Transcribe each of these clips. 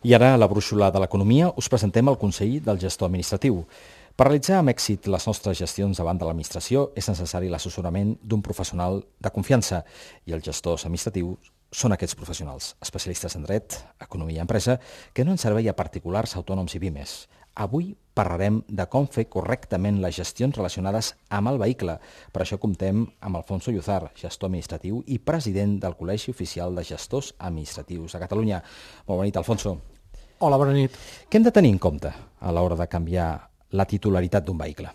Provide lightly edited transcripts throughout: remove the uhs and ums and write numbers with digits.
I ara, a la brúixola de l'economia, us presentem el Consell del Gestor Administratiu. Per realitzar amb èxit les nostres gestions davant de l'administració és necessari l'assessorament d'un professional de confiança i els gestors administratius són aquests professionals, especialistes en dret, economia i empresa, que no en servei a particulars, autònoms i pimes. Avui parlarem de com fer correctament les gestions relacionades amb el vehicle. Per això comptem amb Alfonso Lluzar, gestor administratiu i president del Col·legi Oficial de Gestors Administratius de Catalunya. Molt bona nit, Alfonso. Hola, bona nit. Què hem de tenir en compte a l'hora de canviar la titularitat d'un vehicle?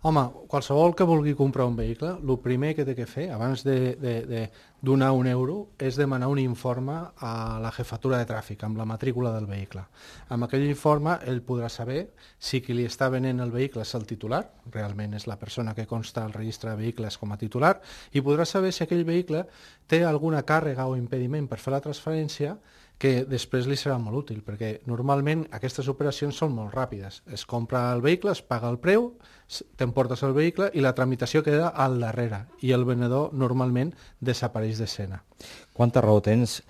Home, qualsevol que vulgui comprar un vehicle, el primer que té que fer, abans de donar un euro, és demanar un informe a la jefatura de tràfic, amb la matrícula del vehicle. Amb aquell informe, ell podrà saber si qui li està venent el vehicle és el titular, realment és la persona que consta al registre de vehicles com a titular, i podrà saber si aquell vehicle té alguna càrrega o impediment per fer la transferència que després li serà molt útil, perquè normalment aquestes operacions són molt ràpides. Es compra el vehicle, es paga el preu, t'emportes el vehicle i la tramitació queda al darrere i el venedor normalment desapareix d'escena. Quanta raó tens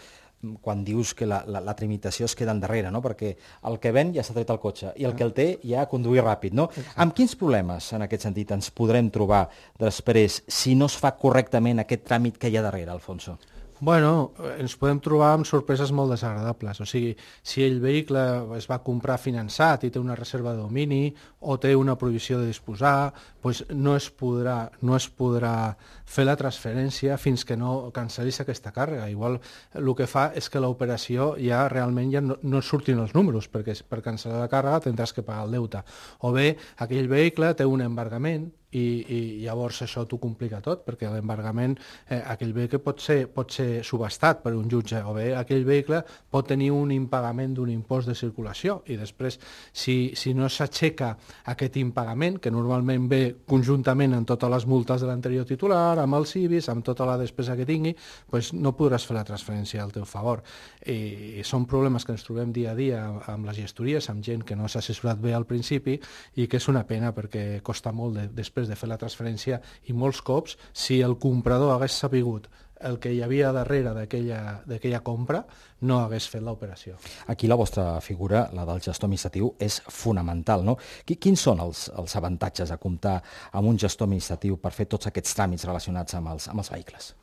quan dius que la tramitació es queda endarrere, no? Perquè el que ven ja s'ha tret el cotxe i el que el té ja ha conduït ràpid, no? Amb quins problemes, en aquest sentit, ens podrem trobar després si no es fa correctament aquest tràmit que hi ha darrere, Alfonso? Bueno, ens podem trobar amb sorpreses molt desagradables. O sigui, si el vehicle es va comprar finançat i té una reserva de domini o té una prohibició de disposar, doncs no es podrà fer la transferència fins que no cancel·lis aquesta càrrega. Igual el que fa és que l'operació ja realment ja no surtin els números, perquè per cancel·lar la càrrega tindràs que pagar el deute. O bé, aquell vehicle té un embargament i llavors això t'ho complica tot, perquè l'embargament, aquell vehicle pot ser subhastat per un jutge, o bé aquell vehicle pot tenir un impagament d'un impost de circulació i després, si no s'aixeca aquest impagament, que normalment ve conjuntament amb totes les multes de l'anterior titular, amb els IBIs, amb tota la despesa que tingui, doncs no podràs fer la transferència al teu favor. I són problemes que ens trobem dia a dia amb les gestories, amb gent que no s'ha assessorat bé al principi i que és una pena perquè costa molt després de fer la transferència i molts cops, si el comprador hagués sapigut el que hi havia darrere d'aquella compra, no hagués fet l'operació. Aquí la vostra figura, la del gestor administratiu, és fonamental, no? Quins són els avantatges de comptar amb un gestor administratiu per fer tots aquests tràmits relacionats amb els vehicles?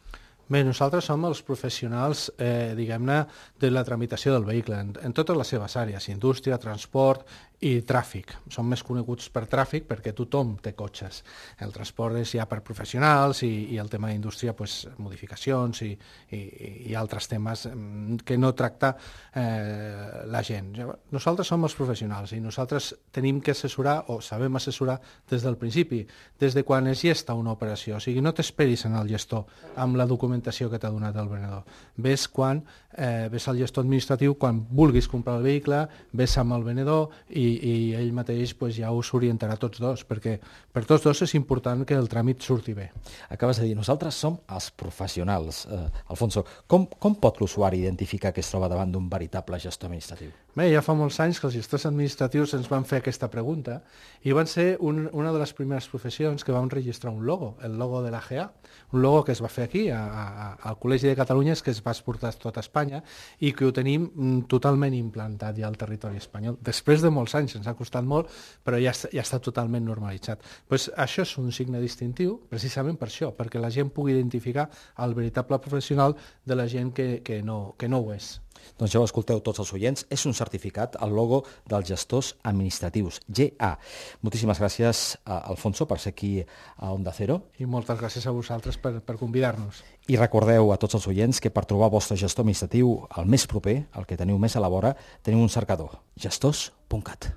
Bé, nosaltres som els professionals, diguem-ne, de la tramitació del vehicle, en totes les seves àrees, indústria, transport i tràfic. Som més coneguts per tràfic perquè tothom té cotxes. El transport és ja per professionals i el tema d'indústria, pues, modificacions i altres temes que no tracta la gent. Nosaltres som els professionals i nosaltres tenim que assessorar o sabem assessorar des del principi, des de quan es gesta una operació. O sigui, no t'esperis en el gestor amb la documentació que t'ha donat el venedor. Ves al gestor administratiu quan vulguis comprar el vehicle, ves amb el venedor i ell mateix ja us orientarà tots dos, perquè per tots dos és important que el tràmit surti bé. Acabes de dir, nosaltres som els professionals. Alfonso, com pot l'usuari identificar que es troba davant d'un veritable gestor administratiu? Bé, ja fa molts anys que els gestors administratius ens van fer aquesta pregunta i van ser una de les primeres professions que vam registrar un logo, el logo de l'AGA, un logo que es va fer aquí, al Col·legi de Catalunya, que es va exportar a tota Espanya i que ho tenim totalment implantat ja al territori espanyol. Després de molts anys, ens ha costat molt, però ja està totalment normalitzat. Pues això és un signe distintiu, precisament per això, perquè la gent pugui identificar el veritable professional de la gent que no ho és. Doncs ja ho escolteu tots els oients, és un certificat, el logo dels gestors administratius, GA. Moltíssimes gràcies, Alfonso, per ser aquí a Onda Cero. I moltes gràcies a vosaltres per convidar-nos. I recordeu a tots els oients que per trobar el vostre gestor administratiu el més proper, el que teniu més a la vora, teniu un cercador, gestors.cat.